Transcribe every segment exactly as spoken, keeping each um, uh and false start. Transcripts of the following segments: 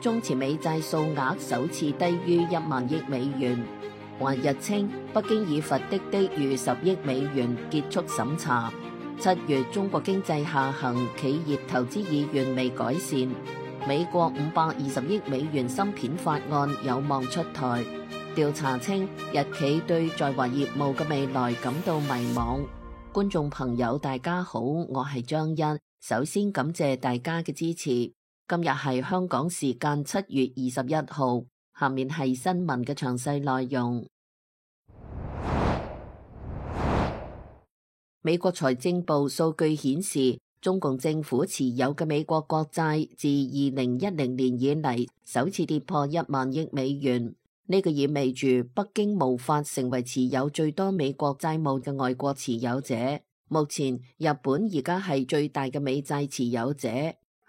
中持美債數額首次低於一萬億美元。華日稱，北京已罰滴滴逾十億美元結束審查。七月中國經濟下行，企業投資意願未改善。美國五百二十億美元芯片法案有望出台。調查稱，日企對在華業務嘅未來感到迷茫。觀眾朋友大家好，我係張欣，首先感謝大家嘅支持。今日係香港時間七月二十一號，下面係新聞嘅詳細內容。美國財政部數據顯示，中共政府持有嘅美國國債自二零一零年以嚟首次跌破一萬億美元。呢個意味住北京無法成為持有最多美國債務嘅外國持有者。目前，日本而家係最大嘅美債持有者。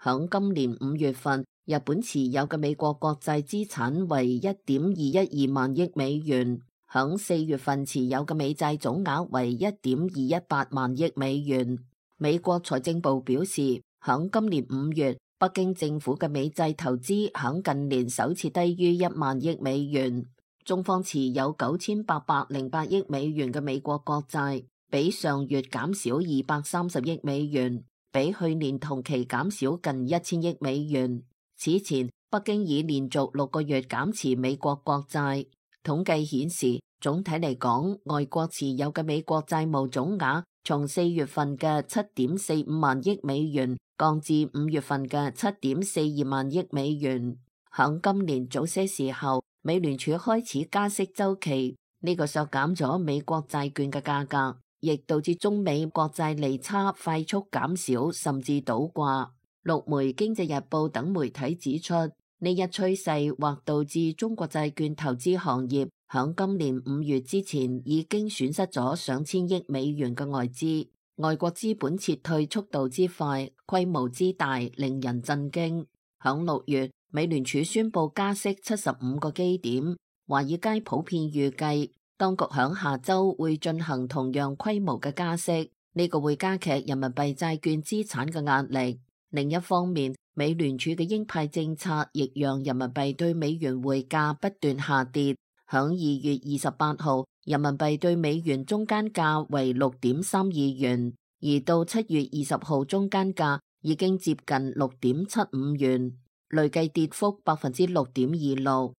響今年五月份，日本持有嘅美國國債資產為一點二一二萬億美元。響四月份持有嘅美債總額為一點二一八萬億美元。美國財政部表示，響今年五月，北京政府嘅美債投資響近年首次低於一萬億美元。中方持有九千八百零八億美元嘅美國國債，比上月減少二百三十億美元，比去年同期減少近一千億美元。此前，北京已連續六個月減持美國國債。統計顯示，總體嚟講，外國持有嘅美國債務總額從四月份嘅七點四五萬億美元降至五月份嘅七點四二萬億美元。響今年早些時候，美聯儲開始加息週期，呢個削減咗美國債券嘅價格，亦導致中美國債利差快速減少，甚至倒掛。陸媒、經濟日報等媒體指出，呢一趨勢或導致中國債券投資行業響今年五月之前已經損失咗上千億美元嘅外資。外國資本撤退速度之快、規模之大，令人震驚。響六月，美聯儲宣布加息七十五個基點，華爾街普遍預計當局響下周會進行同樣規模嘅加息，呢個會加劇人民幣債券資產嘅壓力。另一方面，美聯儲嘅鷹派政策亦讓人民幣對美元匯價不斷下跌。響二月二十八號，人民幣對美元中間價為六點三二元，而到七月二十號中間價已經接近六點七五元，累計跌幅百分之六點二六。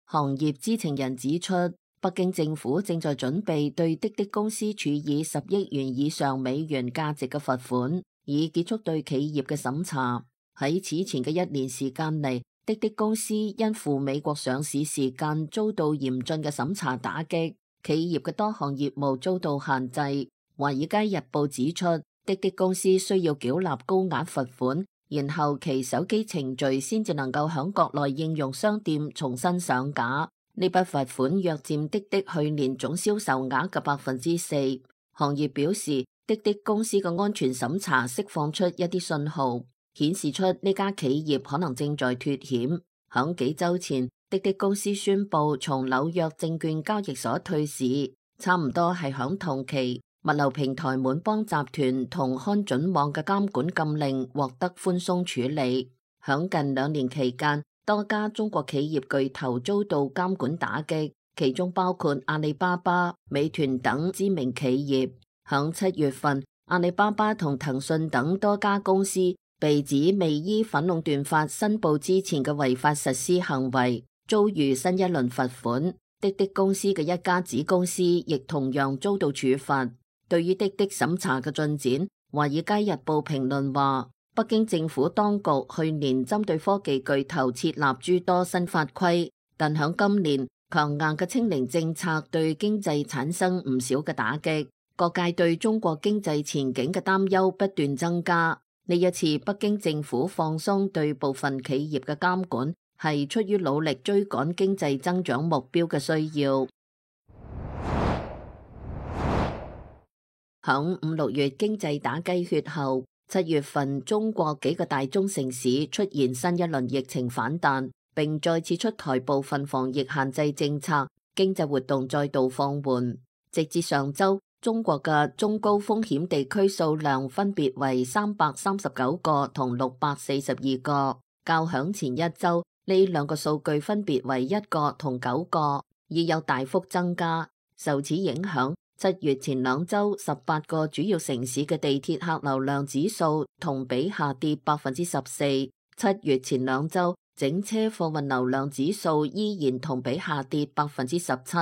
行業知情人指出，北京政府正在準備對滴滴公司處以十億元以上美元價值嘅罰款，以結束對企業嘅審查。喺此前嘅一年時間嚟，滴滴公司因赴美國上市時間遭到嚴峻嘅審查打擊，企業嘅多項業務遭到限制。華爾街日報指出，滴滴公司需要繳納高額罰款，然後其手機程序先至能夠響國內應用商店重新上架。呢筆罰款約佔滴滴去年總銷售額嘅百分之四。行業表示，滴滴公司嘅安全審查釋放出一啲信號，顯示出呢家企業可能正在脫險。響幾週前，滴滴公司宣布從紐約證券交易所退市，差唔多係響同期，物流平台滿幫集團同看準網嘅監管禁令獲得寬鬆處理。響近兩年期間，多家中國企業巨頭遭到監管打擊，其中包括阿里巴巴、美團等知名企業。響七月份，阿里巴巴同騰訊等多家公司被指未依反壟斷法申報之前嘅違法實施行為，遭遇新一輪罰款。滴滴公司嘅一家子公司亦同樣遭到處罰。對於滴滴審查嘅進展，華爾街日報評論話，北京政府當局去年針對科技巨頭設立諸多新法規，但響今年強硬嘅清零政策對經濟產生唔少嘅打擊，各界對中國經濟前景嘅擔憂不斷增加。呢一次北京政府放鬆對部分企業嘅監管，係出於努力追趕經濟增長目標嘅需要。響五六月經濟打雞血後，七月份中國幾個大中城市出現新一輪疫情反彈，並再次出台部分防疫限制政策，經濟活動再度放緩。直至上周，中國嘅中高風險地區數量分別為三百三十九個同六百四十二個，較響前一周呢兩個數據分別為一個同九個，已有大幅增加。受此影響，七月前兩周十八個主要城市嘅地鐵客流量指數同比下跌百分之十四。七月前兩周整車貨運流量指數依然同比下跌百分之十七。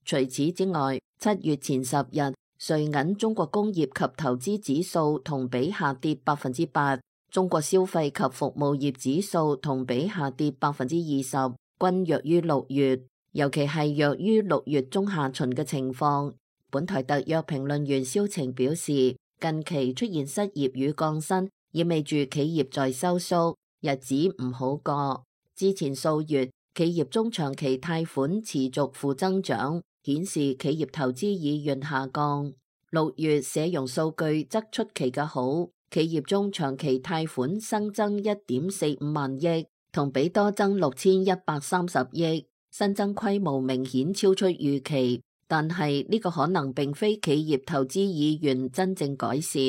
除此之外，七月前十日，瑞銀中國工業及投資指數同比下跌百分之八，中國消費及服務業指數同比下跌百分之二十，均弱於六月，尤其係弱於六月中下旬嘅情況。本台特約評論員蕭晴表示，近期出現失業與降薪，意味住企業在收縮，日子唔好過。之前數月，企業中長期貸款持續負增長，顯示企業投資意願下降。六月社融數據則出奇嘅好，企業中長期貸款新增一點四五萬億，同比多增六千一百三十億，新增規模明顯超出預期。但係呢個可能並非企業投資意願真正改善。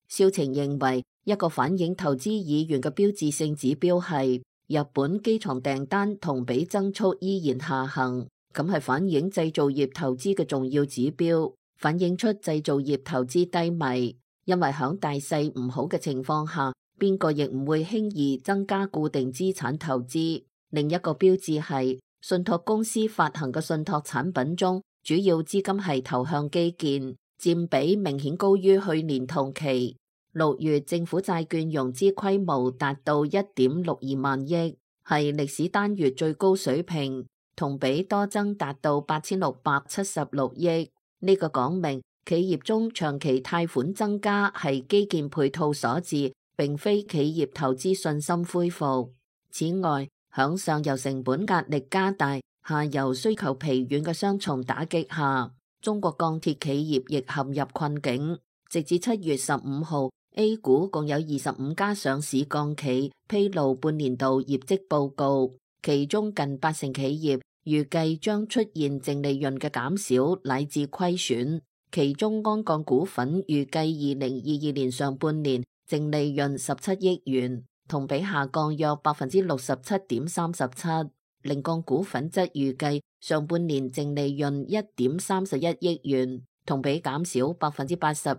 蕭晴認為，一個反映投資意願嘅標誌性指標係日本機床訂單同比增速依然下行。咁係反映製造業投資嘅重要指標，反映出製造業投資低迷，因為響大勢唔好嘅情況下，邊個亦唔會輕易增加固定資產投資。另一個標誌係信託公司發行嘅信託產品中，主要資金係投向基建，佔比明顯高於去年同期。六月政府債券融資規模達到一點六二萬億，係歷史單月最高水平。同比多增達到八千六百七十六億，呢個講明企業中長期貸款增加係基建配套所致，並非企業投資信心恢復。此外，響上游成本壓力加大、下游需求疲軟嘅雙重打擊下，中國鋼鐵企業亦陷入困境。直至七月十五號，A 股共有二十五家上市鋼企披露半年度業績報告。其中近八成企業預計將出現淨利潤嘅減少乃至虧損，其中鞍鋼股份預計二零二二年上半年淨利潤十七億元，同比下降約百分之六十七點三十七。菱鋼股份則預計上半年淨利潤一點三十一億元，同比減少百分之八十二。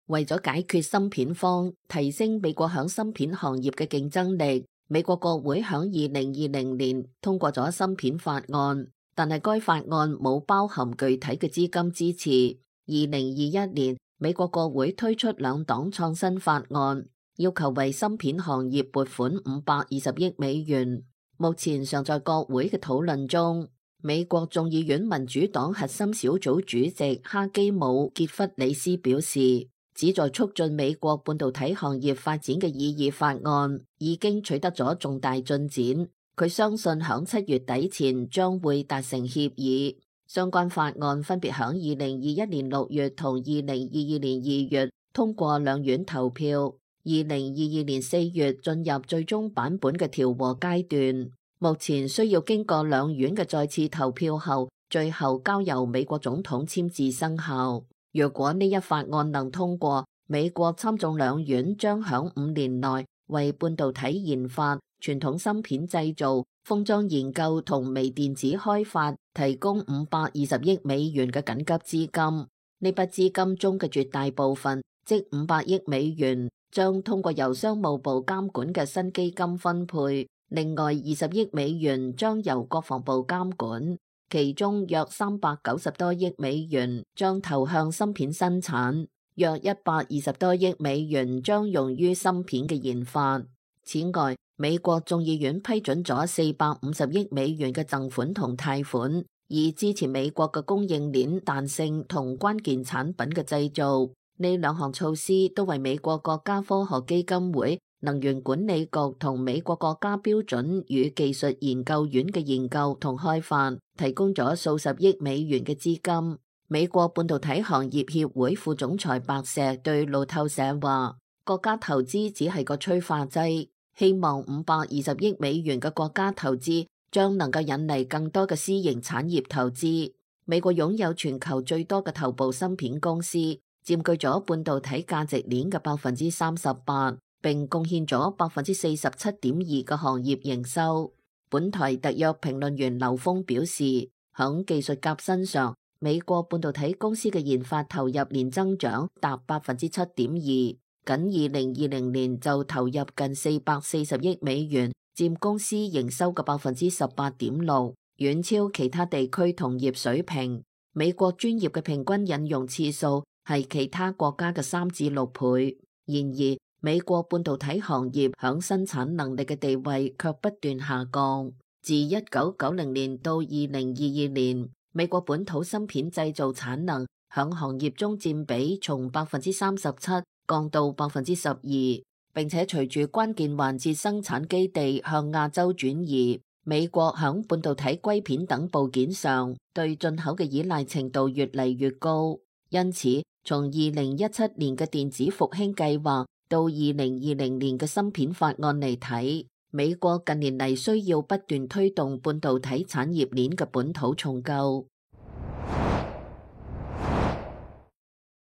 為咗解決芯片荒，提升美國響芯片行業嘅競爭力，美國國會響二零二零年通過咗芯片法案，但係該法案冇包含具體嘅資金支持。二零二一年，美國國會推出兩黨創新法案，要求為芯片行業撥款五百二十億美元，目前尚在國會嘅討論中。美國眾議院民主黨核心小組主席哈基姆傑弗里斯表示，旨在促進美國半導體行業發展嘅擬議法案已經取得咗重大進展，佢相信響七月底前將會達成協議。相關法案分別響二零二一年六月同二零二二年二月通過兩院投票，二零二二年四月進入最終版本嘅調和階段，目前需要經過兩院嘅再次投票後，最後交由美國總統簽字生效。若果呢一法案能通過，美國參眾兩院將響五年內為半導體研發、傳統芯片製造、封裝研究同微電子開發提供五百二十億美元嘅緊急資金。呢筆資金中嘅絕大部分，即五百億美元，將通過由商務部監管嘅新基金分配，另外二十億美元將由國防部監管。其中約三百九十多億美元將投向芯片生產，約一百二十多億美元將用於芯片嘅研發。此外，美國眾議院批准咗四百五十億美元嘅贈款同貸款，以支持美國嘅供應鏈彈性同關鍵產品嘅製造。呢兩項措施都為美國國家科學基金會、能源管理局同美國國家標準與技術研究院嘅研究同開發提供咗數十億美元嘅資金。美國半導體行業協會副總裁白石對路透社話，國家投資只係個催化劑，希望五百二十億美元嘅國家投資將能夠引嚟更多嘅私營產業投資。美國擁有全球最多嘅頭部芯片公司，佔據咗半導體價值鏈嘅百分之三十八，並貢獻咗百分之四十七點二嘅行業營收。本台特約評論員劉峰表示，響技術革新上，美國半導體公司嘅研發投入年增長達百分之七點二，僅二零二零年就投入近四百四十億美元，佔公司營收嘅百分之十八點六，遠超其他地區同業水平。美國專業嘅平均引用次數係其他國家嘅三至六倍。然而，美國半導體行業響生產能力嘅地位卻不斷下降。自一九九零年到二零二二年，美國本土芯片製造產能響行業中佔比從百分之三十七降到百分之十二，並且隨住關鍵環節生產基地向亞洲轉移，美國響半導體硅片等部件上對進口嘅依賴程度越嚟越高。因此，從二零一七年嘅電子復興計劃到二零二零年嘅芯片法案嚟睇，美國近年嚟需要不斷推動半導體產業鏈嘅本土重構。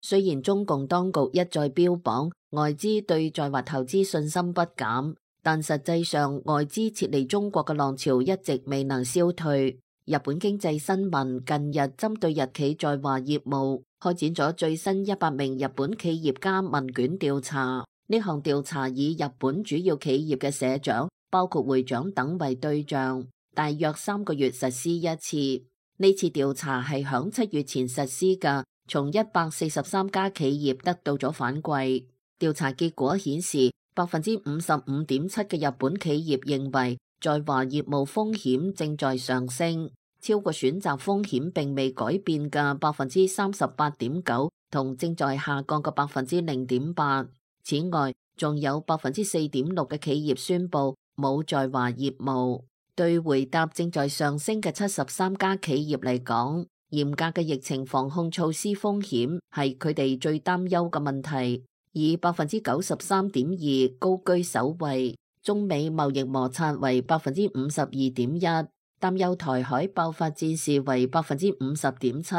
雖然中共當局一再標榜外資對在華投資信心不減，但實際上外資撤離中國嘅浪潮一直未能消退。日本經濟新聞近日針對日企在華業務開展咗最新一百名日本企業家問卷調查。呢項調查以日本主要企業嘅社長，包括會長等為對象，大約三個月實施一次。呢次調查係響七月前實施嘅，從一百四十三家企業得到咗反饋。調查結果顯示，百分之五十五點七嘅日本企業認為在華業務風險正在上升，超過選擇風險並未改變嘅百分之三十八點九，同正在下降嘅百分之零點八。此外，仲有百分之四點六嘅企業宣布冇在華業務。對回答正在上升嘅七十三家企業嚟講，嚴格嘅疫情防控措施風險係佢哋最擔憂嘅問題，以百分之九十三點二高居首位。中美貿易摩擦為百分之五十二點一，擔憂台海爆發戰事為百分之五十點七。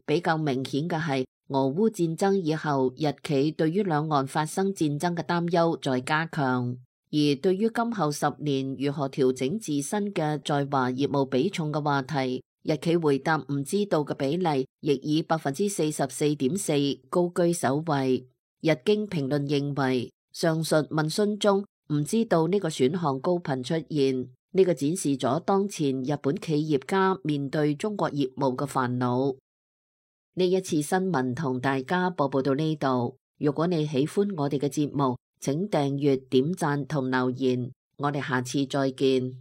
比較明顯嘅係，俄烏戰爭以後，日企對於兩岸發生戰爭嘅擔憂在加強，而對於今後十年如何調整自身嘅在華業務比重嘅話題，日企回答唔知道嘅比例亦以百分之四十四點四高居首位。日經評論認為，上述問詢中唔知道呢個選項高頻出現，呢個展示咗當前日本企業家面對中國業務嘅煩惱。呢一次新聞同大家播報到呢度。如果你喜歡我哋嘅節目，請訂閱、點讚同留言。我哋下次再見。